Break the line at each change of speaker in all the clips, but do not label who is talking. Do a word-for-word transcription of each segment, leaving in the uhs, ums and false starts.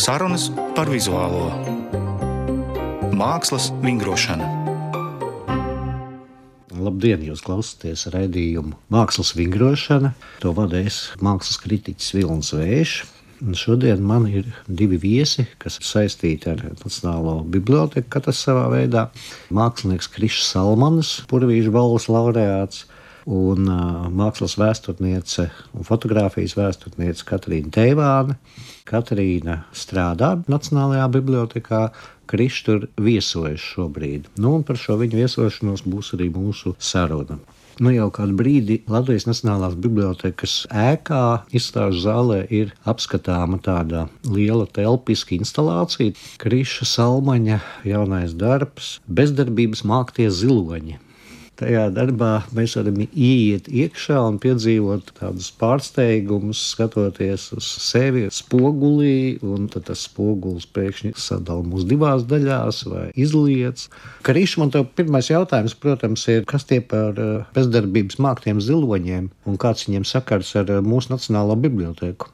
Sarunas par vizuālo mākslas vingrošanu.
Labdien, jūs klausāties raidījumu Mākslas vingrošana. To vadīs mākslas kritiķis Vilnis Vējš. Un šodien man ir divi viesi, kas ir saistīti ar Nacionālo biblioteku, katrs savā veidā. Mākslinieks Krišs Salmanis, Purvīša balvas laureāts, un uh, mākslas vēsturniece un fotogrāfijas vēsturniece Katrīna Teivāne. Katrīna strādā Nacionālajā bibliotekā, Krišs tur viesojas šobrīd. Nu, un par šo viņu viesošanos būs arī mūsu saruna. Nu, jau kādu brīdi Latvijas Nacionālās bibliotekas ēkā, izstāžu zālē, ir apskatāma tāda liela telpiska instalācija. Kriša Salmaņa jaunais darbs – Bezdarbības māktie ziloņi. Tajā darbā mēs varam ieiet iekšā un piedzīvot tādus pārsteigumus, skatoties uz sevi spogulī, un tad tas spogulis pēkšņi sadala mūs divās daļās vai izliec. Kriš, man tev pirmais jautājums, protams, ir, kas tie par bezdarbības māktiem ziloņiem un kāds viņiem sakars ar mūsu Nacionālo biblioteku?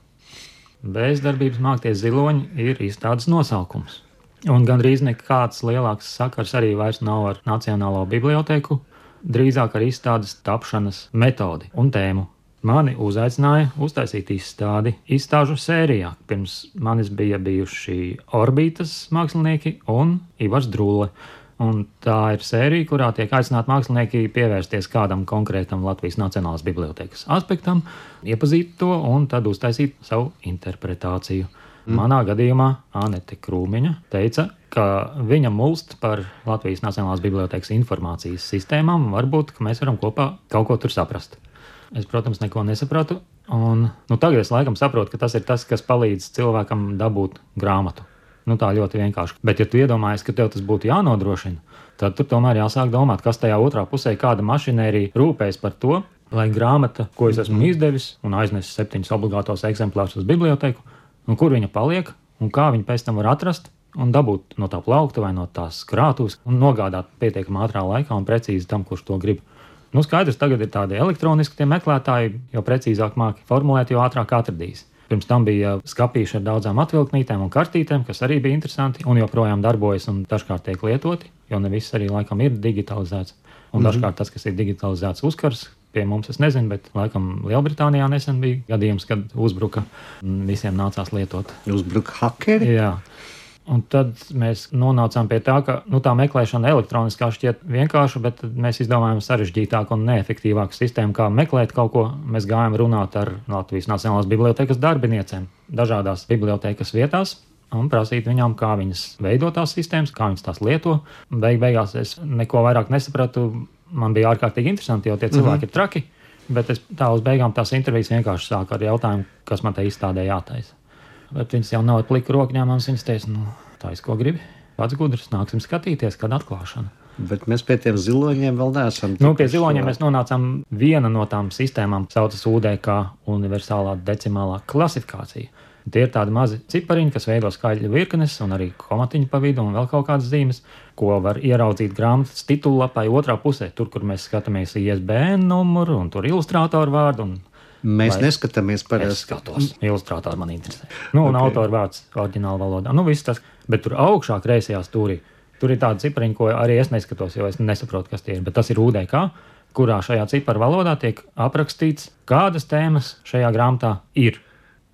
Bezdarbības māktie ziloņi ir izstādes nosaukums. Un gandrīz nekāds lielāks sakars arī vairs nav ar Nacionālo biblioteku. Drīzāk ar izstādes tapšanas metodi un tēmu. Mani uzaicināja uztaisīt izstādi izstāžu sērijā. Pirms manis bija bijuši Orbītas mākslinieki un Ivars Drūle. Un tā ir sērija, kurā tiek aicināti mākslinieki pievērsties kādam konkrētam Latvijas Nacionālās bibliotekas aspektam, iepazīt to un tad uztaisīt savu interpretāciju. Manā gadījumā Anete Krūmiņa teica, ka viņa mulst par Latvijas Nacionālās bibliotekas informācijas sistēmām, un varbūt, ka mēs varam kopā kaut ko tur saprast. Es, protams, neko nesapratu, un nu, tagad es laikam saprotu, ka tas ir tas, kas palīdz cilvēkam dabūt grāmatu. Nu, tā ļoti vienkārši. Bet, ja tu iedomājies, ka tev tas būtu jānodrošina, tad tur tomēr jāsāk domāt, kas tajā otrā pusē, kāda mašinērija rūpēs par to, lai grāmata, ko es esmu izdevis un aiznesis septiņus obligātos eksemplārus uz biblioteku, un kur viņa paliek, un kā viņa pēc tam var atrast un dabūt no tā plaukta vai no tās krātuves un nogādāt pietiekami ātrā laikā un precīzi tam, kurš to grib. Nu, skaidrs, tagad ir tādi elektroniski tie meklētāji, jo precīzāk māki formulēt, jo ātrāk atradīs. Pirms tam bija skapīši ar daudzām atvilknītēm un kartītēm, kas arī bija interesanti un joprojām darbojas un dažkārt tiek lietoti, jo ne viss arī laikam ir digitalizēts. Un mm-hmm. dažkārt tas, kas ir digitalizēts, uzkars. Pie mums es nezinu, bet laikam Lielbritānijā nesen bija gadījums, kad uzbruka un visiem nācās lietot.
Uzbruka hakeri?
Jā. Un tad mēs nonācām pie tā, ka nu, tā meklēšana elektroniskā šķiet vienkārša, bet mēs izdomājām sarežģītāku un neefektīvāku sistēmu, kā meklēt kaut ko. Mēs gājām runāt ar Latvijas Nacionālās bibliotekas darbiniecēm dažādās bibliotekas vietās un prasīt viņām, kā viņas veido tās sistēmas, kā viņas tās lieto. Beig beigās es neko vairāk nesapratu. Man bija ārkārtīgi interesanti, jo tie cilvēki mm-hmm. ir traki, bet es tā uz beigām tās intervijas vienkārši sāku ar jautājumu, kas man te izstādē jātaisa. Bet viņas jau nav ar pliku rokņēmams, viņas teica, nu, tais, ko gribi, pats gudrs, nāksim skatīties, kad atklāšana.
Bet mēs pie tiem ziloņiem vēl neesam.
Nu, pie ziloņiem mēs nonācām viena no tām sistēmām, saucas U D K, universālā decimālā klasifikācija. Tie ir tādi mazi cipariņi, kas veido skaļu virknes un arī komatiņu pa vidu un vēl kaut kādas zīmes, ko var ieraudzīt grāmatas titullapai otrā pusē, tur, kur mēs skatāmies I S B N numuru un tur ilustrātoru vārdu. Un,
mēs neskatāmies parasti.
Es skatos, ilustrātori man interesē. Nu, un okay. Autoru vārds oriģināla valodā. Nu, viss tas, bet tur augšā kreisajā stūrī, tur ir tādi cipariņi, ko arī es neskatos, jo es nesaprotu, kas tie ir, bet tas ir U D K, kurā šajā ciparu valodā tiek aprakstīts, kādas tēmas šajā grāmatā ir.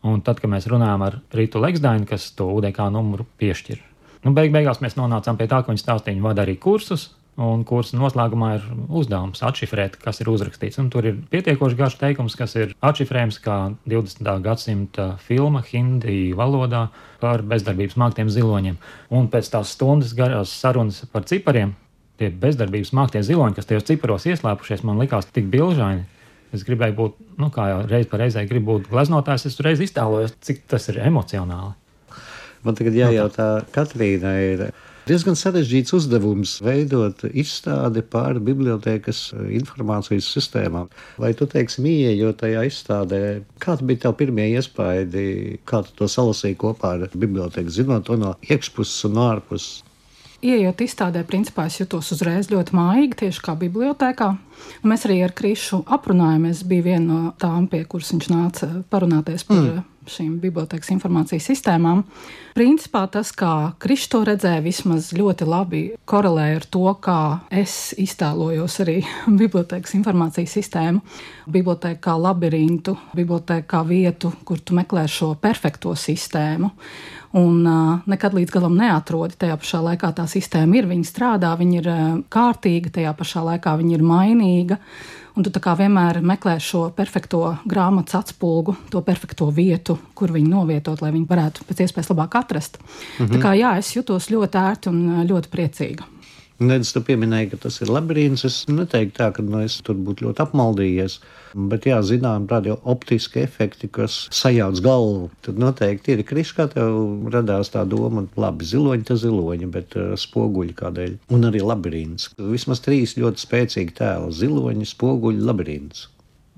Un tad, kad mēs runājām ar Ritu Leksdaini, kas to U D K numuru piešķir, nu, beig beigās mēs nonācām pie tā, ka viņa stāstīja, viņa vada arī kursus, un kursa noslēgumā ir uzdevums atšifrēt, kas ir uzrakstīts. Un tur ir pietiekoši garš teikums, kas ir atšifrējums kā divdesmitā gadsimta filma hindi valodā par bezdarbības māktiem ziloņiem. Un pēc tās stundas garās sarunas par cipariem, tie bezdarbības māktie ziloņi, kas tajos ciparos ieslēpušies, man likās tik bilžaini. Es gribēju būt, nu kā jau reiz par reizē gribu būt gleznotājs, es reiz iztēlojos, cik tas ir emocionāli.
Man tagad jājautā, Katrīnai ir diezgan sarežģīts uzdevums veidot izstādi par bibliotekas informācijas sistēmām. Vai tu, teiksim, ieejot tajā izstādē, kāds bija tev pirmie iespaidi, kā tu to salasīji kopā ar biblioteku, zinot to no iekšpuses un ārpuses?
Iejot izstādē, principā es jutos uzreiz ļoti mājīgi, tieši kā bibliotēkā. Mēs arī ar Krišu aprunājāmies, bija viena no tām, pie kuras viņš nāca parunāties par mm. šīm bibliotēkas informācijas sistēmām. Principā tas, kā Krišs to redzēja, vismaz ļoti labi korelē ar to, kā es iztēlojos arī bibliotēkas informācijas sistēmu. Bibliotēka kā labirintu, bibliotēka kā vietu, kur tu meklē šo perfekto sistēmu. Un uh, nekad līdz galam neatrodi. Tajā pašā laikā tā sistēma ir, viņa strādā, viņa ir uh, kārtīga, tajā pašā laikā viņa ir mainīga. Un tu tā kā vienmēr meklē šo perfekto grāmatas atspulgu, to perfekto vietu, kur viņu novietot, lai viņi varētu pēc iespējas labāk atrast. Mhm. Tā kā jā, es jutos ļoti ērti un ļoti priecīga.
Nedz, tu pieminēji, ka tas ir labirints. Es neteiktu tā, ka nu, es tur būtu ļoti apmaldījies. Bet jā, zinām, tādi optiski efekti, kas sajauc galvu. Tad noteikti ir Krišs, kā tev radās tā doma, labi, ziloņi ta ziloņi, bet uh, spoguļi kādēļ. Un arī labirints. Vismaz trīs ļoti spēcīgi tēli - ziloņi, spoguļi, labirints.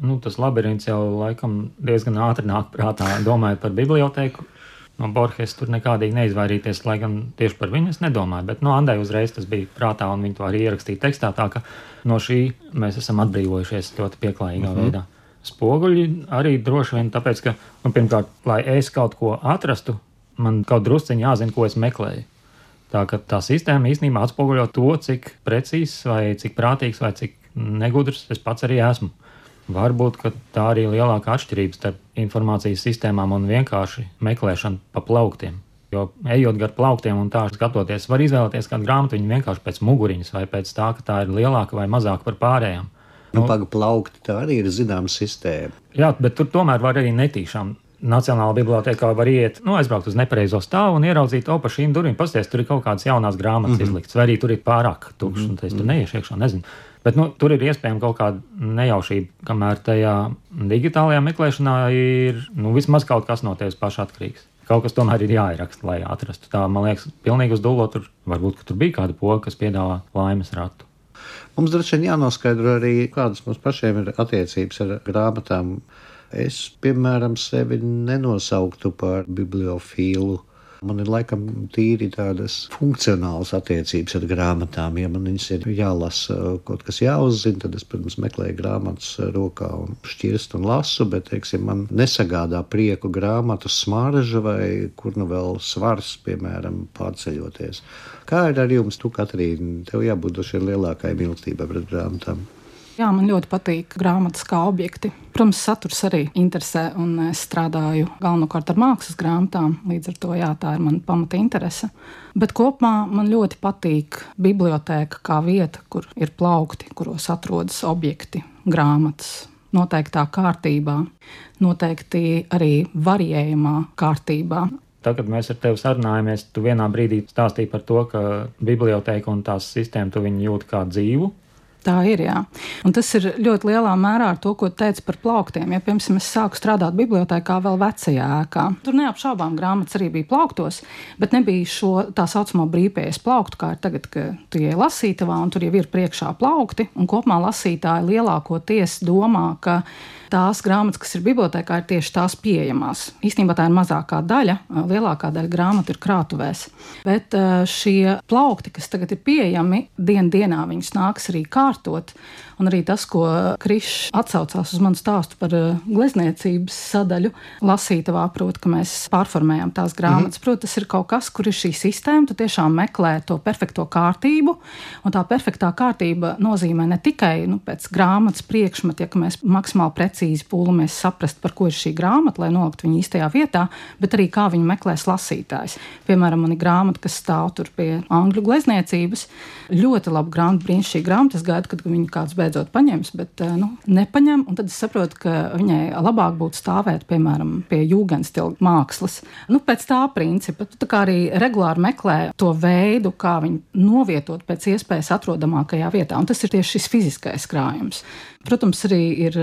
Nu, tas labirints jau laikam diezgan ātri nāk prātā, domājot par bibliotēku. No Borges tur nekādīgi neizvairīties, lai gan tieši par viņu es nedomāju, bet no Andai uzreiz tas bija prātā un viņi to arī ierakstīja tekstā, tā ka no šī mēs esam atbrīvojušies ļoti pieklājīgā uh-huh. veidā. Spoguļi arī droši vien tāpēc, ka, nu, pirmkārt, lai es kaut ko atrastu, man kaut drusciņi jāzina, ko es meklēju. Tā ka tā sistēma īstenībā atspoguļo to, cik precīzs vai cik prātīgs vai cik negudrs es pats arī esmu. Varbūt, ka tā arī lielāka atšķirība starp informācijas sistēmām un vienkārši meklēšanu pa plauktiem. Jo ejot gar plauktiem un tā skatoties, var izvēlēties kādu grāmatu viņu vienkārši pēc muguriņas vai pēc tā, ka tā ir lielāka vai mazāka par pārējām.
Nu, nu paga plaukti, tā arī ir zināma sistēma.
Jā, bet tur tomēr var arī netīšām. Nacionālā bibliotēkā var iet, nu, aizbraukt uz nepareizo stāvu un ieraudzīt, o, pa šīm durvīm pasties, tur ir kaut kādas jaunās grāmatas mm-hmm. izliktas, vai arī tur ir pārāk tukšs, mm-hmm. un tas tur neiešu iekšā, nezinu. Bet nu, tur ir iespējama kaut kāda nejaušība, kamēr tajā digitālajā meklēšanā ir nu, vismaz kaut kas no tevis paša atkarīgs. Kaut kas tomēr ir jāieraksta, lai atrastu. Tā, man liekas, pilnīgi uz dullo tur varbūt, ka tur bija kāda poga, kas piedāvā laimes ratu.
Mums droši vien jānoskaidro arī, kādas mums pašiem ir attiecības ar grāmatām. Es, piemēram, sevi nenosauktu par bibliofīlu. Man ir laikam tīri tādas funkcionālas attiecības ar grāmatām. Ja man viņas ir jālasa, kaut kas jāuzzina, tad es, protams, meklēju grāmatas rokā un šķirstu un lasu, bet, teiksim, man nesagādā prieku grāmatu smarža vai kur nu vēl svars, piemēram, pārceļoties. Kā ir ar jums, tu, Katrīna? Tev jābūt doši lielākai mīlestībai pret grāmatām.
Jā, man ļoti patīk grāmatas kā objekti. Protams, saturs arī interesē, un es strādāju galvenokārt ar mākslas grāmatām, līdz ar to, jā, tā ir mana pamata interese. Bet kopumā man ļoti patīk bibliotēka kā vieta, kur ir plaukti, kuros atrodas objekti, grāmatas, noteiktā kārtībā, noteikti arī variējumā kārtībā.
Tā, kad mēs ar tevi sarunājamies, tu vienā brīdī stāstīji par to, ka bibliotēka un tās sistēma tu viņu jūt kā dzīvu.
Tā ir, jā. Un tas ir ļoti lielā mērā ar to, ko teica par plauktiem. Ja, piemēram, es sāku strādāt bibliotēkā vēl vecajā ēkā. Tur neapšaubām grāmatas arī bija plauktos, bet nebija šo tā saucamo brīvpieejas plauktu, kā ir tagad, ka tu ieej lasītavā un tur jau ir priekšā plaukti. Un kopumā lasītāji lielākoties domā, ka tās grāmatas, kas ir bibliotēkā, ir tieši tās pieejamās. Īstenībā tā ir mazākā daļa, lielākā daļa grāmatu ir krātuvēs. Bet šie plaukti, kas tagad ir pieejami, dien dienā viņus nāks arī kārtot. Un arī tas, ko Krišs atsaucās uz manu stāstu par glezniecības sadaļu lasītavā, proti, ka mēs pārformējam tās grāmatas. Mm-hmm. Proti, tas ir kaut kas, kur ir šī sistēma, tu tiešām meklē to perfekto kārtību, un tā perfektā kārtība nozīmē ne tikai nu, pēc grāmatas priekšmeta, ja mēs maksimāli precīzi pūlamies saprast, par ko ir šī grāmata, lai noliktu viņu īstajā vietā, bet arī kā viņu meklēs lasītājs. Piemēram, man ir grāmata, kas stāv tur pie angļu glezniecības. Ļoti laba grāmata, brīnišķīga grāmata. Es gaidu, kad viņu kāds beidzot paņems, bet nu, nepaņem, un tad es saprotu, ka viņai labāk būtu stāvēt, piemēram, pie jūgenstila mākslas. Nu, pēc tā principa, tu tā kā arī regulāri meklē to veidu, kā viņu novietot pēc iespējas atrodamākajā vietā, un tas ir tieši šis fiziskais krājums. Protams, arī ir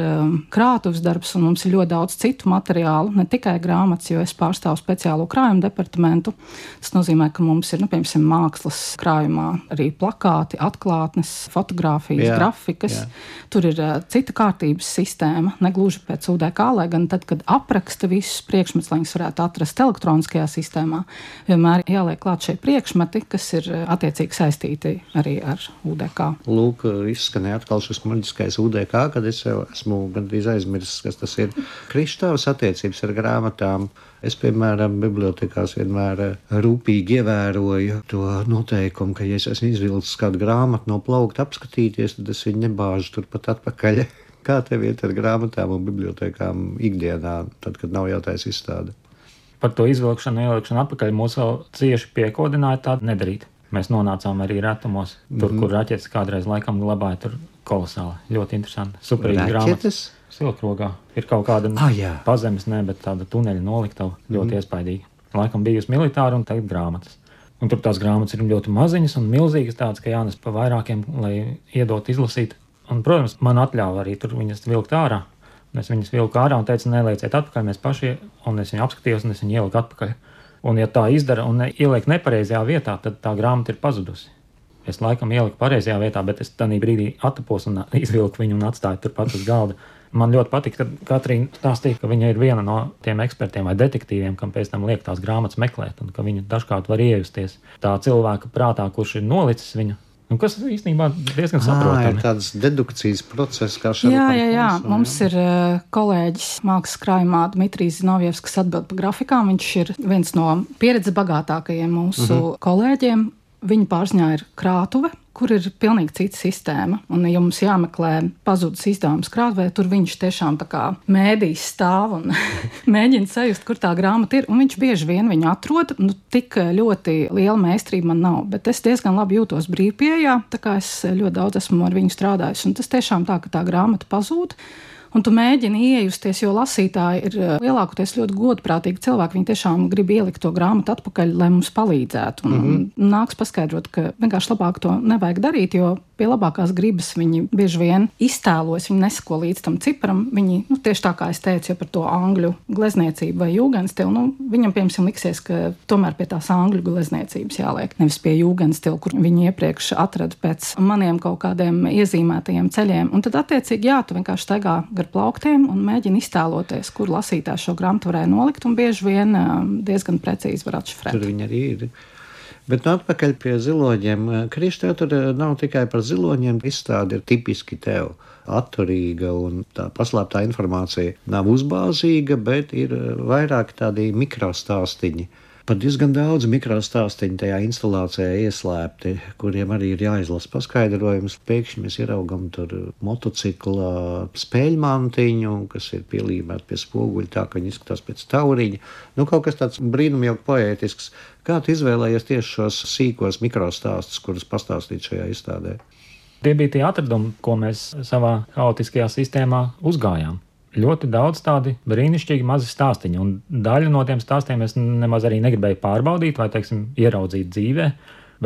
krātuves darbs, un mums ir ļoti daudz citu materiālu, ne tikai grāmatas, jo es pārstāvu speciālo krājumu departamentu. Tas nozīmē, ka mums ir, nu, piemēram, mākslas krājumā arī plakāti, atklātnes, fotogrāfijas, jā, grafikas. Jā. Tur ir uh, cita kārtības sistēma, negluži pēc U D K, lai gan tad, kad apraksta visus priekšmetus, lai viņus varētu atrast elektroniskajā sistēmā, vienmēr jāliek klāt šie priekšmeti, kas ir uh, attiecīgi saistīti arī ar U D K.
Lūk, izskanēja atkal šis maģiskais U D K bibliotēkā, kad es jau esmu gandrīz aizmirsis, kas tas ir. Kristāvas attiecības ar grāmatām. Es, piemēram, bibliotēkās vienmēr rūpīgi ievēroju to noteikumu, ka, ja es esmu izvilcis kādu grāmatu no plaukta apskatīties, tad es viņu nebāžu turpat atpakaļ. Kā tev iet ar grāmatām un bibliotēkām ikdienā, tad, kad nav jātaisa izstāde?
Par to izvilkšanu, ielikšanu atpakaļ mūs vēl cieši piekodināja tādu nedarīt. Mēs nonācām arī retumos, tur, mm-hmm. kur raķetes kādreiz laikam glabāja, tur kolosāli. Ļoti interesanti. Superīgi grāmatas. Silkrogā. Ir kaut kāda
ah, jā.
pazemes, ne, bet tāda tuneļa noliktava. Ļoti mm-hmm. iespaidīga. Laikam bijusi militāra un tagad grāmatas. Un tur tās grāmatas ir ļoti maziņas un milzīgas tādas, ka jānes pa vairākiem, lai iedot izlasīt. Un, protams, man atļāva arī tur viņas vilkt ārā. Es viņas vilku ārā un teicu, nelieciet atpakaļ, mēs paši, un es viņu apskatījos, un es viņu ieliku atpakaļ. Un ja tā izdara un ieliek nepareizajā vietā, tad tā grāmata ir pazudusi. Es laikam ieliku pareizajā vietā, bet es tādā brīdī attapos un izvilku viņu un atstāju turpat uz galda. Man ļoti patīk, kad Katrīna stāstīja, ka viņa ir viena no tiem ekspertiem vai detektīviem, kam pēc tam liek tās grāmatas meklēt, un ka viņa dažkārt var iejusties tā cilvēka prātā, kurš ir nolicis viņu. Un kas īstenībā diezgan saprotami.
Ir tāds dedukcijas process, kā šādi.
Jā, jā, jā. Mums ir uh, kolēģis mākslas krājumā Dmitrijs Zinovjevs, kas atbild par grafikām. Viņš ir viens no pieredzes bagātākajiem mūsu uh-huh. kolēģiem. Viņa pārziņā ir krātuve, kur ir pilnīgi cita sistēma. Un, ja mums jāmeklē pazudus izdevums krātuvē, tur viņš tiešām tā kā mēdīs stāv un mēģina sajust, kur tā grāmata ir. Un viņš bieži vien viņu atrod. Nu, tik ļoti liela meistarība man nav, bet es diezgan labi jūtos brīvpieejā, tā kā es ļoti daudz esmu ar viņu strādājis. Un tas tiešām tā, ka tā grāmata pazūd. Un tu mēģini iejusties, jo lasītāji ir lielākoties ļoti godprātīgi cilvēki. Viņi tiešām grib ielikt to grāmatu atpakaļ, lai mums palīdzētu. Un, mm-hmm. un nāks paskaidrot, ka vienkārši labāk to nevajag darīt, jo pie labākās gribas viņi bieži vien iztēlojas, viņi nesako līdz tam ciparam. Viņi, nu, tieši tā kā es teicu, ja par to angļu glezniecību vai jūgenstilu, nu, viņam, piemēram, liksies, ka tomēr pie tās angļu glezniecības jāliek, nevis pie jūgenstilu, kur viņi iepriekš atrada pēc maniem kaut kādiem iezīmētajiem ceļiem. Un tad, attiecīgi, jā, tu vienkārši staigā gar plauktiem un mēģina iztēloties, kur lasītājs šo grāmatu varēja nolikt, un bieži vien diezgan precīzi var atšifrēt.
Tur viņi arī ir. Bet nu, atpakaļ pie ziloņiem. Kristi, tur nav tikai par ziloņiem. Izstāde ir tipiski tev atturīga, un tā paslēptā informācija nav uzbāzīga, bet ir vairāk tādi mikrostāstiņi. Pat diezgan daudz mikrostāstiņu tajā instalācijā ieslēpti, kuriem arī ir jāizlasa paskaidrojums. Pēkšņi mēs ieraugam tur motocikla spēļmantiņu, kas ir pielīmēta pie spoguļa, tā ka viņi izskatās pēc tauriņa. Nu, kaut kas tāds brīnumjauki poētisks. Kā tu izvēlējies tieši šos sīkos mikrostāstus, kurus pastāstīt šajā izstādē?
Tie bija tie atradumi, ko mēs savā haotiskajā sistēmā uzgājām. Ļoti daudz tādi brīnišķīgi mazi stāstiņi, un daļu no tiem stāstiem es nemaz arī negribēju pārbaudīt vai, teiksim, ieraudzīt dzīvē,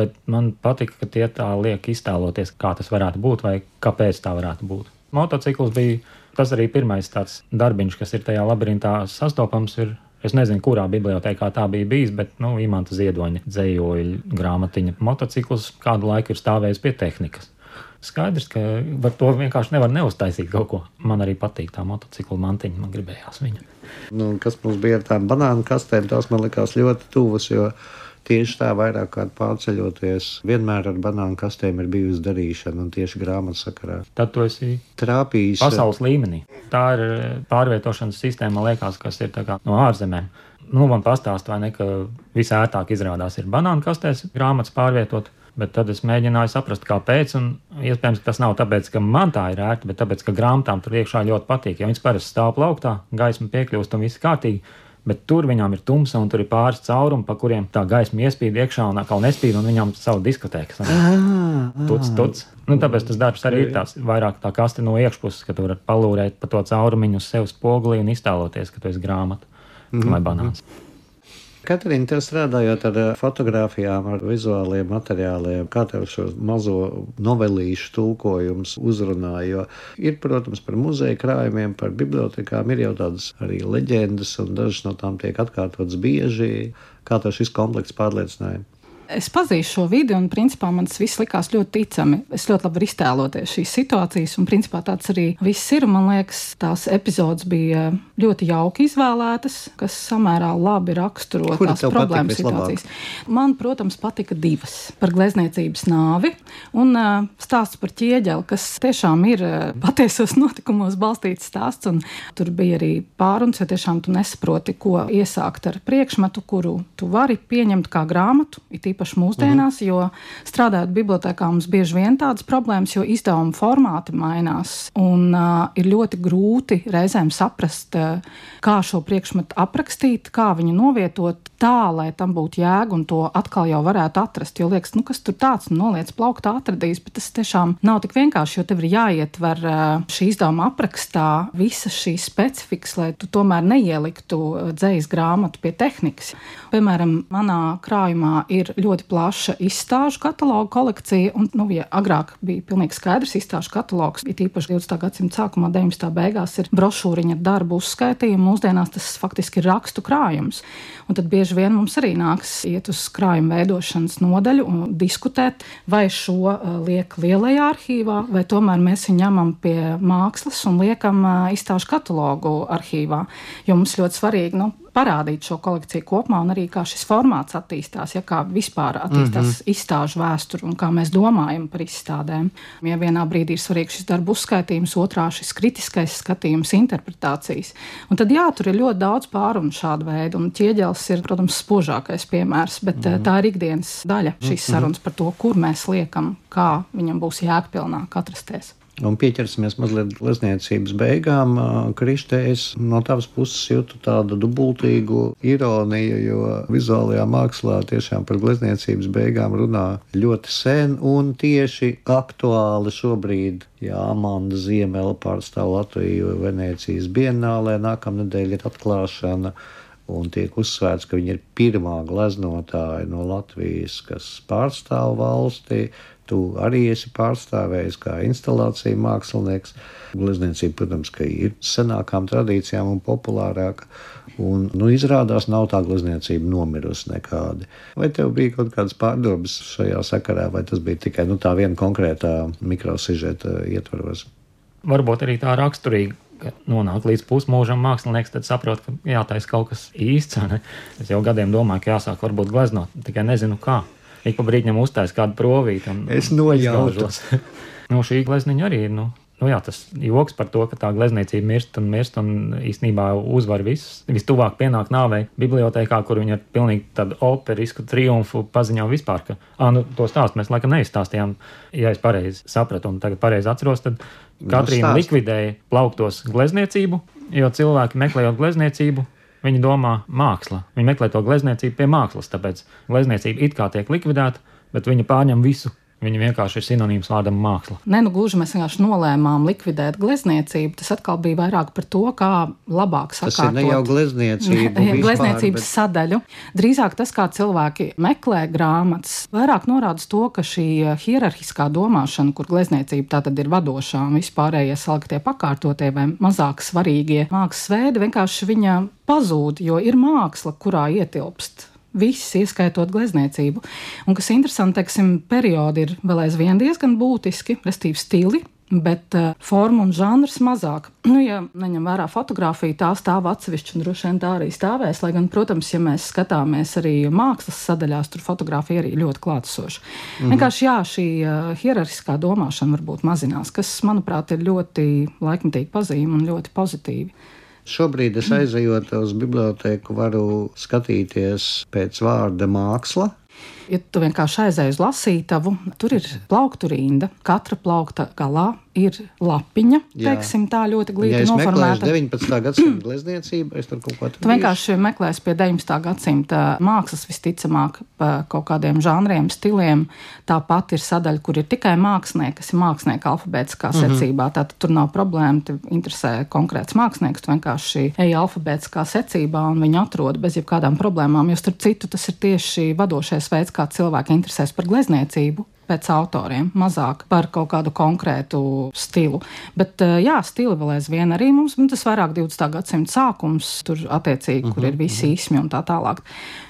bet man patika, ka tie tā liek iztēloties, kā tas varētu būt vai kāpēc tā varētu būt. Motocikls bija tas arī pirmais tāds darbiņš, kas ir tajā labirintā sastopams. Ir, es nezinu, kurā bibliotēkā tā bija bijis, bet, nu, Imanta Ziedoņa dzējoļu grāmatiņa motocikls kādu laiku ir stāvējis pie tehnikas. Skaidrs, ka var to vienkārši nevar neuztaisīt kaut ko. Man arī patīk tā motocikla mantiņa, man gribējās viņu.
Nu, kas mums bija ar tām banānu kastēm, tās man likās ļoti tuvas, jo tieši tā vairāk kārt pārceļoties, vienmēr ar banānu kastēm ir bijusi darīšana, un tieši grāmatas sakarā.
Tad tu esi
trāpījis
pasaules līmenī. Tā ir pārvietošanas sistēma, liekas, kas ir tā kā no ārzemēm. Nu, man pastāst, vai ne, ka visērtāk izrādās ir banānu kastēs grāmatas pārvietot. Bet tad es mēģināju saprast, kāpēc, un iespējams, ka tas nav tāpēc, ka man tā ir ērti, bet tāpēc, ka grāmatām tur iekšā ļoti patīk. Ja viņas parasti stāv plauktā, gaisma piekļūst un viss kārtīgi, bet tur viņām ir tumsa un tur ir pāris caurumi, pa kuriem tā gaisma iespīd iekšā un atkal nespīd, un viņām savu diskotēku. Tuc, tuc. Nu, tāpēc tas darbs arī ir tāds vairāk tā kaste no iekšpuses, ka tu vari palūrēt pa to caurumiņu uz sev spogulī un iztēloties, ka tu esi grāmata mm-hmm. vai banāns.
Katrīna, tev strādājot ar fotogrāfijām, ar vizuāliem materiāliem, kā tev šo mazo novelīšu tulkojums uzrunāja? Jo ir, protams, par muzeja krājumiem, par bibliotekām ir jau tādas arī leģendas, un dažas no tām tiek atkārtotas bieži. Kā tev šis komplekts pārliecināja?
Es pazīstu šo vidi, un principā man tas viss likās ļoti ticami. Es ļoti labi varu iztēloties šīs situācijas, un principā tāds arī viss ir. Man liekas, tās epizodes bija ļoti jauki izvēlētas, kas samērā labi raksturo
Kura
tās
tev
problēmas
patika vislabāk?
situācijas. Man, protams, patika divas par glezniecības nāvi un uh, stāsts par ķieģeli, kas tiešām ir uh, patiesos notikumos balstīts stāsts, un tur bija arī pāruns, ja tiešām tu nesaproti, ko iesākt ar priekšmetu, kuru tu vari pieņemt kā grāmatu, it īpaši mūsdienās, mm. jo strādājot bibliotēkā mums bieži vien tādas problēmas, jo izdevuma formāti mainās, un uh, ir ļoti grūti reizēm saprast, uh, kā šo priekšmetu aprakstīt, kā viņu novietot tā, lai tam būtu jēga, un to atkal jau varētu atrast, jo liekas, nu kas tur tāds, nu noliec plauktā atradīs, bet tas tiešām nav tik vienkārši, jo tev ir jāietver uh, šī izdevuma aprakstā visas šīs specifikas, lai tu tomēr neieliktu dzejas grāmatu pie tehnikas. Piemēram, manā krājumā ir ļoti plaša izstāžu katalogu kolekcija, un, nu, ja agrāk bija pilnīgi skaidrs izstāžu katalogs, it īpaši divdesmitā gadsimta sākumā, deviņdesmitā beigās ir brošūriņa ar darbu uzskaitījumu, mūsdienās tas faktiski ir rakstu krājums. Un tad bieži vien mums arī nāks iet uz krājuma veidošanas nodaļu un diskutēt, vai šo uh, liek lielajā arhīvā, vai tomēr mēs viņu ņemam pie mākslas un liekam uh, izstāžu katalogu arhīvā, jo mums ļoti svarīgi, nu, parādīt šo kolekciju kopumā un arī kā šis formāts attīstās, ja kā vispār attīstās mm-hmm. izstāžu vēsturi un kā mēs domājam par izstādēm. Ja vienā brīdī ir svarīgs šis darbu uzskaitījums, otrā šis kritiskais skatījums, interpretācijas. Un tad jā, tur ir ļoti daudz pārunu šādu veidu, un ķieģelis ir, protams, spožākais piemērs, bet mm-hmm. tā ir ikdienas daļa šīs mm-hmm. sarunas par to, kur mēs liekam, kā viņam būs jēgpilnāk atrasties.
Un pieķersimies mazliet glezniecības beigām. Krište, es no tavas puses jūtu tādu dubultīgu ironiju, jo vizuālajā mākslā tiešām par glezniecības beigām runā ļoti sen un tieši aktuāli šobrīd. Jā, Amanda Ziemele pārstāv Latviju Venēcijas bienālē, nākamnedēļ ir atklāšana. Un tiek uzsvērts, ka viņa ir pirmā gleznotāja no Latvijas, kas pārstāv valstī. Tu arī esi pārstāvējis kā instalācija mākslinieks. Glezniecība, protams, ka ir senākām tradīcijām un populārāka. Un, nu, izrādās, nav tā glezniecība nomirusi nekādi. Vai tev bija kaut kādas pārdomas šajā sakarā, vai tas bija tikai nu, tā viena konkrētā mikrosižeta ietvaros?
Varbūt arī tā raksturīga, ka nonāk līdz pusmūžam mākslinieks, tad saprot, ka jātais kaut kas īsts. Ne? Es jau gadiem domāju, ka jāsāk varbūt gleznot, tikai nezinu kā. Ik pa brīdņam uztais kādu provīti un
es nojautu.
Nu, šī glezniņa arī ir, nu, nu jā, tas joks par to, ka tā glezniecība mirst un mirst un īstenībā uzvar visus. Vistuvāk pienāk nāvei bibliotēkā, kur viņi ar pilnīgi tādu operisku triumfu paziņo vispār, ka, ā, nu, to stāstu mēs laikam neizstāstījām. Ja es pareizi sapratu un tagad pareizi atceros, tad Katrīna likvidēja plauktos glezniecību, jo cilvēki meklējot glezniecību, viņi domā māksla. Viņi meklē to glezniecību pie mākslas, tāpēc glezniecība it kā tiek likvidēta, bet viņa pārņem visu. Viņa vienkārši ir sinonīms vārdam māksla.
Ne, nu gluži mēs vienkārši nolēmām likvidēt glezniecību. Tas atkal bija vairāk par to, kā labāk sakārtot.
Tas ir ne jau glezniecību vispār,
glezniecības bet... sadaļu. Drīzāk tas, kā cilvēki meklē grāmatas, vairāk norāda to, ka šī hierarhiskā domāšana, kur glezniecība tā tad ir vadošā un vispārējie saliktie pakārtotie vai mazāk svarīgie mākslas veidi, vienkārši viņa pazūd, jo ir māksla, kurā ietilpst viss, ieskaitot glezniecību. Un kas interesanti, teiksim, periodi ir vēl aizvien diezgan būtiski, restīvi stili, bet uh, forma un žanrs mazāk. Nu, ja neņem vērā fotografiju, tā stāv atsevišķi un droši vien tā arī stāvēs, lai gan, protams, ja mēs skatāmies arī mākslas sadaļās, tur fotografija arī ļoti klātesoša. Mm-hmm. Vienkārši jā, šī uh, hierarhiskā domāšana varbūt mazinās, kas, manuprāt, ir ļoti laikmetīgi pazīme un ļoti pozitīvi.
Šobrīd es aizejot uz bibliotēku varu skatīties pēc vārda māksla.
Ja tu vienkārši aizēji uz lasītavu, tur ir plauktu rinda, katra plaukta galā ir lapiņa, teiksim, tā ļoti glīti
ja
noformēta.
Ja es meklēšu deviņpadsmitā gadsimta glezniecību, es tur kaut ko
Tu vienkārši meklēsi pie deviņpadsmitā gadsimta mākslas visticamāk pa kaut kādiem žanriem, stiliem. Tāpat ir sadaļa, kur ir tikai mākslinieki, kas ir mākslinieka alfabētiskā mm-hmm. secībā. Tātad tur nav problēma, te interesē konkrēts mākslinieks, tu vienkārši ej alfabētiskā secībā un viņu atrod bez jebkādām problēmām, jo starp citu tas ir tieši vadošais veids, kā cilvēki interesēs par glezniecību. pēc autoriem, mazāk par kaut kādu konkrētu stilu. Bet, jā, stili vēl aizvien arī mums, tas vairāk divdesmitā gadsimta sākums, tur attiecīgi, uh-huh, kur ir visi īsmi un tā tālāk.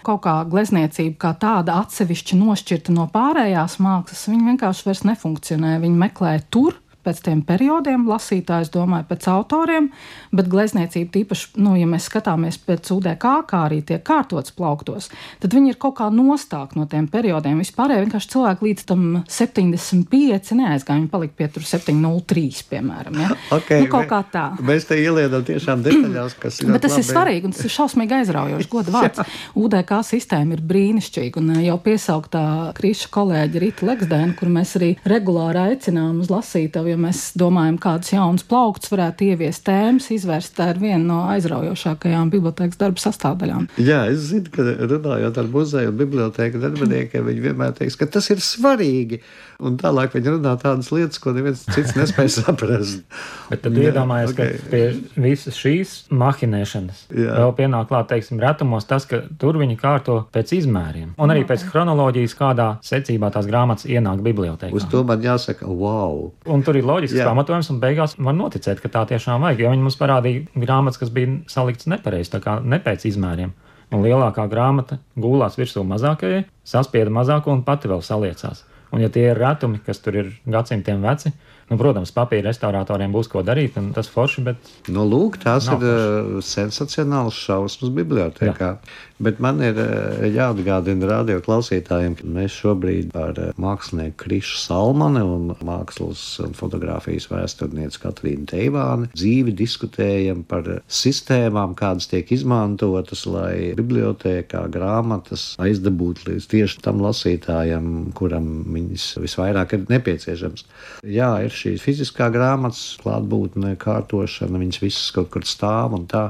Kaut kā glezniecība kā tāda atsevišķi nošķirta no pārējās mākslas, viņa vienkārši vairs nefunkcionē, viņa meklē tur, pēc tiem periodiem, lasītājs domāja pēc autoriem, bet glezniecība tīpaši, nu, ja mēs skatāmies pēc U D K, kā arī tiek kārtots plauktos, tad viņi ir kaut kā nostāk no tiem periodiem. Vispārēji vienkārši cilvēki līdz tam septiņdesmit pieci neaizgāja, viņi palika pie tur septiņi nulle trīs, piemēram. Ja?
Okay,
nu, kaut kā tā.
Mēs te ieliedam tiešām detaļās, kas ir.
Bet tas ir svarīgi un tas ir šausmīgi aizraujoši, goda vārds. U D K sistēma ir brīnišķīga un jau piesauktā Kriša kolēģa Rita Leksdēna, kur mēs arī regulāri aicinām uz lasītavu, ja mēs domājam, kādus jaunus plauktus varētu ieviest tēmas, izvērst, tā ir viena no aizraujošākajām bibliotēkas darba sastāvdaļām.
Jā, es zinu, ka runājot ar muzeju un bibliotēku darbiniekiem, viņi vienmēr teiks, ka tas ir svarīgi. Un tālāk viņi runā tādas lietas, ko neviens cits nespēj saprast.
Bet tad iedomājies, okay, ka pie visas šīs mahinēšanas jā. Vēl pienāk klāt, teiksim, retumos tas, ka tur viņi kārto pēc izmēriem. Un arī pēc chronoloģijas, kādā secībā tās grāmatas ienāk bibliotēkā.
Uz to man jāsaka, wow!
Un tur ir loģisks pamatojums, un beigās var noticēt, ka tā tiešām vajag, jo viņi mums parādīja grāmatas, kas bija salikts nepareizi, tā kā ne pēc izmēriem. Un lielākā grāmata gulās virsū mazākajai, saspieda mazāko un pati vēl saliecās. Un ja tie ir retumi, kas tur ir gadsimtiem veci, nu, protams, papīra restauratoriem būs ko darīt, un tas forši, bet...
Nu, lūk, tās ir uh, sensacionāls šausmas bibliotēkā. Jā. Bet man ir uh, jāatgādina radio klausītājiem, ka mēs šobrīd ar uh, mākslinieku Krišu Salmani un mākslas un fotografijas vēsturnieci Katrīnu Teivāni dzīvi diskutējam par uh, sistēmām, kādas tiek izmantotas, lai bibliotēkā grāmatas aizdabūtu līdz tieši tam lasītājam, kuram viņas visvairāk ir nepieciešams. Jā, ir šī fiziskā grāmatas klātbūtne, kārtošana, viņas visas kaut kur stāv un tā,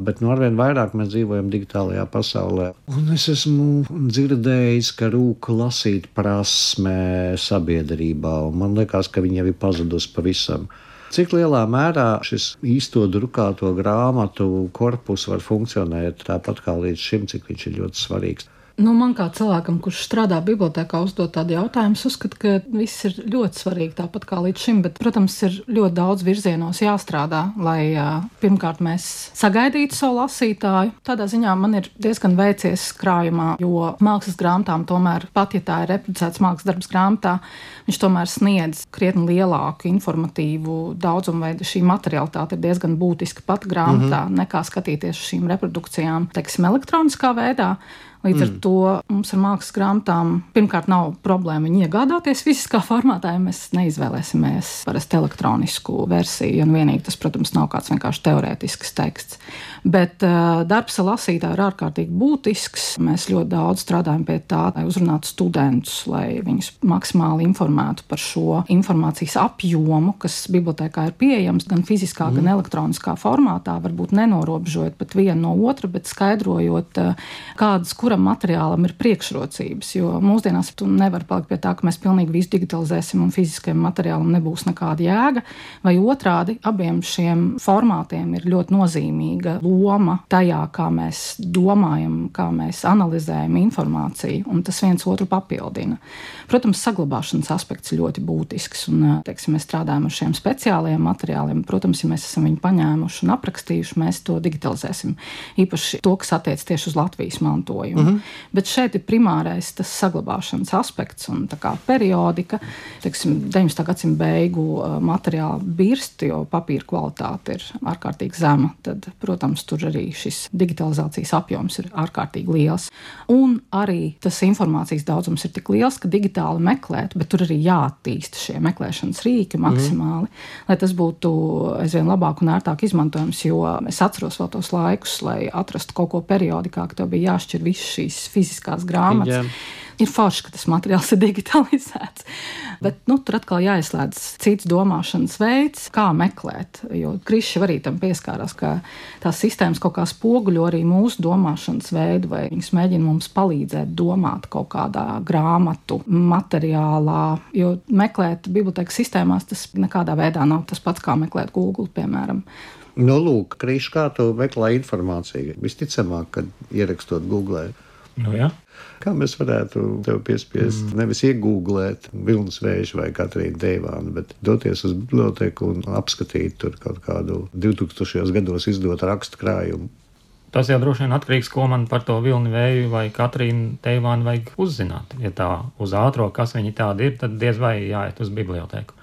bet nu arvien vairāk mēs dzīvojam digitālajā pasaulē. Un es esmu dzirdējis, ka rūk lasīt prasme sabiedrībā, un man liekas, ka viņa jau ir pazudusi pavisam. Cik lielā mērā šis īsto drukāto grāmatu korpus var funkcionēt tāpat kā līdz šim, cik viņš ir ļoti svarīgs?
Nu, man kā cilvēkam, kurš strādā bibliotēkā, uzdot tādu jautājumu, es uzskatu, ka viss ir ļoti svarīgi tāpat kā līdz šim, bet, protams, ir ļoti daudz virzienos jāstrādā, lai uh, pirmkārt mēs sagaidītu savu lasītāju. Tādā ziņā man ir diezgan veicies krājumā, jo mākslas grāmatām tomēr, pat ja tā ir reproducēts mākslas darbs grāmatā, viņš tomēr sniedz krietni lielāku informatīvu daudzumu, vai šī materialitāte ir diezgan būtiska pat grāmatā, mm-hmm. nekā skatīties uz šīm reprodukcijām, teiksim, elektroniskā veidā. Līdz ar mm. to mums ar mākslas grāmatām pirmkārt nav problēma viņu iegādāties fiziskā formātā, ja mēs neizvēlēsimies parasti elektronisku versiju, un vienīgi tas, protams, nav kāds vienkārši teorētisks teksts. Bet uh, darbs ar lasītāju ir ārkārtīgi būtisks. Mēs ļoti daudz strādājam pie tā, lai uzrunātu studentus, lai viņus maksimāli informētu par šo informācijas apjomu, kas bibliotēkā ir pieejams gan fiziskā, mm. gan elektroniskā formātā, varbūt nenorobežojot pat vienu no otra, bet skaidrojot, uh, kādas, kuram materiālam ir priekšrocības, jo mūsdienās tu nevar palikt pie tā, ka mēs pilnīgi visu digitalizēsim un fiziskajam materiālam nebūs nekāda jēga, vai otrādi abiem šiem formātiem ir ļoti nozīmīga loma tajā, kā mēs domājam, kā mēs analizējam informāciju, un tas viens otru papildina. Protams, saglabāšanas aspekts ir ļoti būtisks, un, teiksim, mēs strādājam ar šiem speciālajiem materiāliem. Protams, ja mēs esam viņu paņēmuši un aprakstījuši, mēs to digitalizēsim. Īpaši to, kas attiec tieši uz Latvijas mantojumu. Mm-hmm. Bet šeit ir primārais tas saglabāšanas aspekts un tā kā periodika, teiksim, deviņdesmitā gadsimta beigu materiāla birst, jo papīra kvalitāte ir ārkārtīgi zema, tad, protams, tur arī šis digitalizācijas apjoms ir ārkārtīgi liels. Un arī tas informācijas daudzums ir tik liels, ka digitāli meklēt, bet tur arī jāattīsta šie meklēšanas rīki maksimāli, mm. lai tas būtu aizvien labāk un ērtāk izmantojams, jo es atceros vēl tos laikus, lai atrastu kaut ko periodikā, ka tev bija jāšķir visas šīs fiziskās grāmatas. Jā. Ir forši, ka tas materiāls ir digitalizēts, bet nu, tur atkal jāieslēdz cits domāšanas veids, kā meklēt, jo Krišs arī tam pieskārās, ka tās sistēmas kaut kā spoguļo arī mūsu domāšanas veidu, vai viņas mēģina mums palīdzēt domāt kaut kādā grāmatu materiālā, jo meklēt bibliotēkas sistēmās tas nekādā veidā nav tas pats, kā meklēt Google, piemēram.
Nu, lūk, Krišs, kā tu meklē informāciju? Visticamāk, kad ierakstot Googlē.
Nu, jā.
Kā mēs varētu tev piespiest mm. nevis iegūglēt Vilnis Vējš vai Katrīnu Teivānu, bet doties uz biblioteku un apskatīt tur kaut kādu divtūkstošajos gados izdotu rakstu krājumu?
Tas jau droši vien atkarīgs, ko man par to Vilni Vēju vai Katrīnu Teivānu vajag uzzināt. Ja tā uz ātro, kas viņi tādi ir, tad diez vai jāiet uz biblioteku.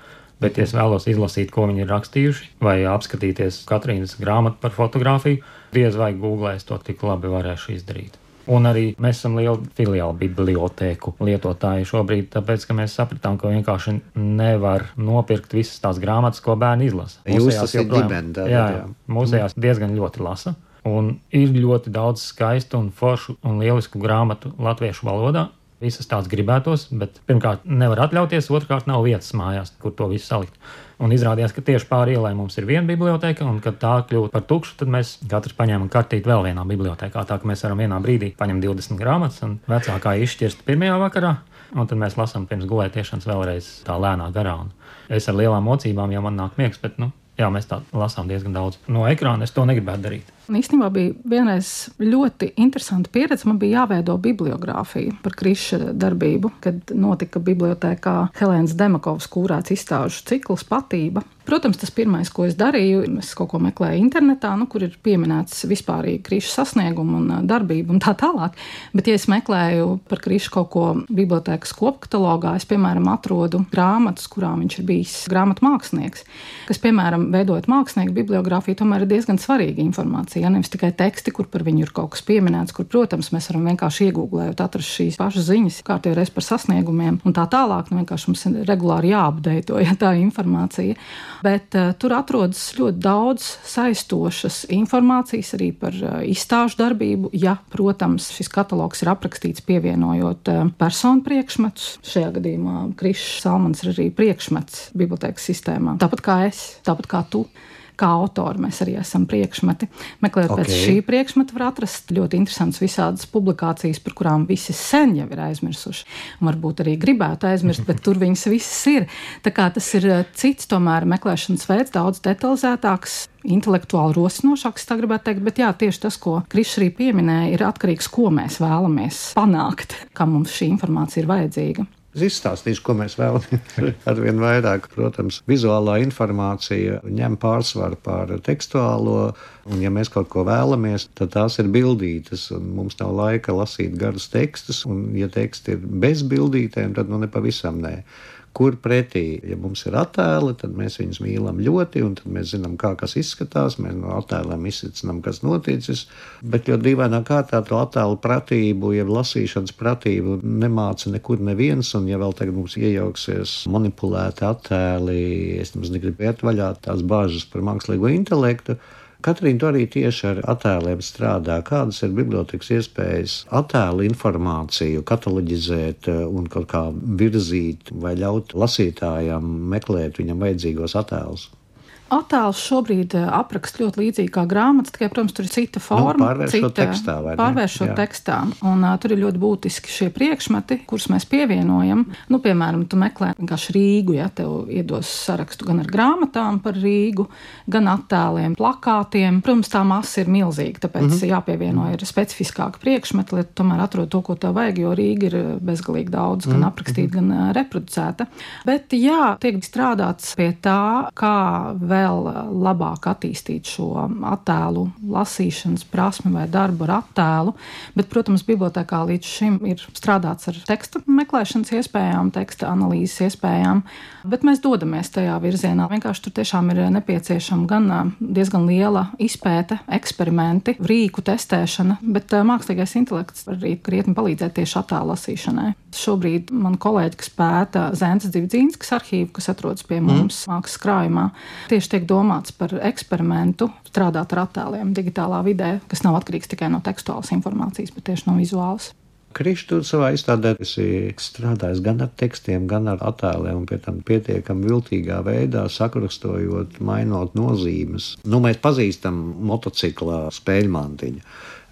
Bet, ja es vēlos izlasīt, ko viņi ir rakstījuši, vai apskatīties Katrīnas grāmatu par fotografiju, diez vai Googlē es to tik labi varēšu izdarīt. Un arī mēs esam liela filiāla bibliotēku lietotāji šobrīd, tāpēc, ka mēs sapratām, ka vienkārši nevar nopirkt visas tās grāmatas, ko bērni izlasa.
Jūs tas ir ģimene.
Jā, jā, mūsējās diezgan ļoti lasa. Un ir ļoti daudz skaistu un foršu un lielisku grāmatu latviešu valodā. Visas tās gribētos, bet pirmkārt nevar atļauties, otrkārt nav vietas mājās, kur to visu salikt. Un izrādījās, ka tieši pāri ielai mums ir viena biblioteka, un kad tā kļūst par tukšu, tad mēs katrs paņēmām kartīti vēl vienā bibliotekā, tā ka mēs varam vienā brīdī paņemt divdesmit grāmatas un vecākā izšķirst pirmajā vakarā, un tad mēs lasām pirms gulētiešanas vēlreiz tā lēnā garā. Un es ar lielām mocībām jau man nāk miegs, bet, nu, jā, mēs tā lasām diezgan daudz. No ekrāna es to negribētu darīt.
Un īstenībā bija vienreiz ļoti interesanta pieredze. Man bija jāveido bibliogrāfija par Kriša darbību, kad notika bibliotēkā Helēnas Demakovas kūrēts izstāžu cikls Patība. Protams, tas pirmais, ko es darīju, es kaut ko meklēju internetā, nu, kur ir pieminēts vispārīgi Kriša sasniegumu un darbību un tā tālāk. Bet, ja es meklēju par Krišu kaut ko bibliotēkas kopkatalogā, es, piemēram, atrodu grāmatas, kurām viņš ir bijis grāmatu mākslinieks, kas, piemēram, veidojot mākslinieku bibliogrāfiju, tomēr ir diezgan svarīga informācija. Ja nevis tikai teksti, kur par viņu ir kaut kas pieminēts, kur, protams, mēs varam vienkārši iegūglējot, atrast šīs pašas ziņas, kārtīgi reiz par sasniegumiem un tā tālāk. Nu, vienkārši mums ir regulāri jāapdeito, ja tā informācija. Bet uh, tur atrodas ļoti daudz saistošas informācijas arī par uh, izstāžu darbību. Ja, protams, šis katalogs ir aprakstīts pievienojot uh, personu priekšmetus. Šajā gadījumā Krišs Salmans ir arī priekšmets bibliotēkas sistēmā. Tāpat kā es, tāpat kā tu. Kā autori mēs arī esam priekšmeti. Meklējot okay. pēc šī priekšmeta var atrast ļoti interesantas visādas publikācijas, par kurām visi sen jau ir aizmirsuši. Un varbūt arī gribētu aizmirst, bet tur viņas visas ir. Tā kā tas ir cits tomēr meklēšanas veids, daudz detalizētāks, intelektuāli rosinošāks, tā gribētu teikt. Bet jā, tieši tas, ko Krišs arī pieminēja, ir atkarīgs, ko mēs vēlamies panākt, kā mums šī informācija ir vajadzīga.
Es izstāstīšu, ko mēs vēlamies. Arvien vairāk, protams, vizuālā informācija ņem pārsvaru pār tekstuālo, un ja mēs kaut ko vēlamies, tad tās ir bildītas, un mums nav laika lasīt garus tekstus, un ja teksti ir bez bildītēm, tad nu nepavisam nē. Kur pretī, ja mums ir attēli, tad mēs viņus mīlam ļoti, un tad mēs zinām, kā kas izskatās, mēs no attēliem izsicinām, kas noticis, bet ļoti dīvainā kārtā to attēlu pratību, ja lasīšanas pratību nemāca nekur neviens, un ja vēl tagad mums iejauksies manipulēti attēli, es nemaz negribu iet vaļā tās bāžas par mākslīgo intelektu. Katrīna, tu arī tieši ar attēliem strādā. Kādas ir bibliotekas iespējas attēlu informāciju kataloģizēt un kaut kā virzīt vai ļaut lasītājam meklēt viņam vajadzīgos attēlus?
Attēls šobrīd apraksta ļoti līdzīgi kā grāmatas, tikai, protams, tur ir cita forma.
Nu, pārvēršot
cita,
tekstā, vai ne?
Pārvēršot
Jā.
tekstā. Un uh, tur ir ļoti būtiski šie priekšmeti, kurus mēs pievienojam. Nu, piemēram, tu meklē vienkārši Rīgu, ja tev iedos sarakstu gan ar grāmatām par Rīgu, gan attēliem, plakātiem. Protams, tā masa ir milzīga, tāpēc mm-hmm. jāpievieno ir specifiskāka priekšmeti, lai tu tomēr atrod to, ko tev vajag, jo Rīga ir bezgalīgi daudz, gan mm-hmm. aprakstīta, gan uh, reproducēta. Bet jā, tiek strādāts pie tā, kā vēl labāk attīstīt šo attēlu lasīšanas prasmi vai darbu ar attēlu, bet, protams, bibliotekā līdz šim ir strādāts ar teksta meklēšanas iespējām, teksta analīzes iespējām, bet mēs dodamies tajā virzienā. Vienkārši tur tiešām ir nepieciešama gan diezgan liela izpēte, eksperimenti, rīku testēšana, bet mākslīgais intelekts var arī krietni palīdzēt tieši attēlu lasīšanai. Šobrīd man kolēģi, kas pēta Zēnces Dzivdzīnskas arhīvu, kas atrodas pie mums mm. mākslas krājumā, tieši tiek domāts par eksperimentu strādāt ar attēliem digitālā vidē, kas nav atkarīgs tikai no tekstuālas informācijas, bet tieši no vizuālas.
Krišs, tu savā izstādē esi strādājis gan ar tekstiem, gan ar attēliem, un pie tam pietiekami viltīgā veidā sakrustojot, mainot nozīmes. Nu, mēs pazīstam motocikla spēļmantiņu,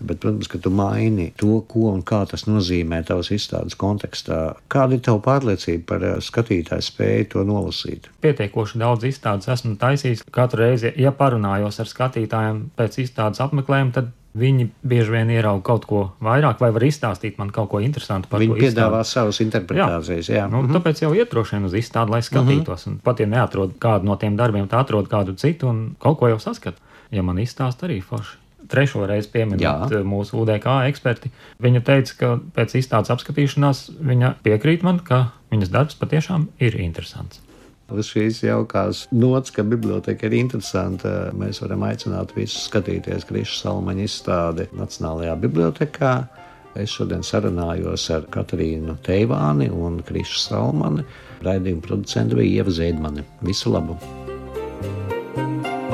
bet, protams, ka tu maini to, ko un kā tas nozīmē tavas izstādes kontekstā. Kāda ir tava pārliecība par skatītāju spēju to nolasīt?
Pietiekoši daudz izstādes esmu taisījis. Katru reizi, ja parunājos ar skatītājiem pēc izstādes apmeklējuma, tad Viņi bieži vien ierauga kaut ko vairāk, vai var izstāstīt man kaut ko interesantu par
Viņi
to
piedāvā
izstādi.
savas interpretācijas. Jā. Jā.
Nu,
Mhm.
tāpēc jau iet droši vien uz izstādi, lai skatītos. Un pat ja neatrod kādu no tiem darbiem, tā atrod kādu citu un kaut ko jau saskat. Ja man izstāst arī forši. Trešo reizi pieminot
Jā.
mūsu U D K eksperti, viņa teica, ka pēc izstādes apskatīšanās viņa piekrīt man, ka viņas darbs patiešām ir interesants.
Uz šīs jaukās nots, ka biblioteka ir interesanta, mēs varam aicināt visus skatīties Kriša Salmaņa izstādi Nacionālajā bibliotekā. Es šodien sarunājos ar Katrīnu Teivāni un Krišu Salmani. Raidījuma producente bija Ieva Ziedmane. Visu labu!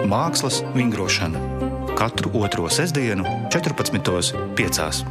Mākslas vingrošana katru otro sestdienu, četrpadsmitos piecās.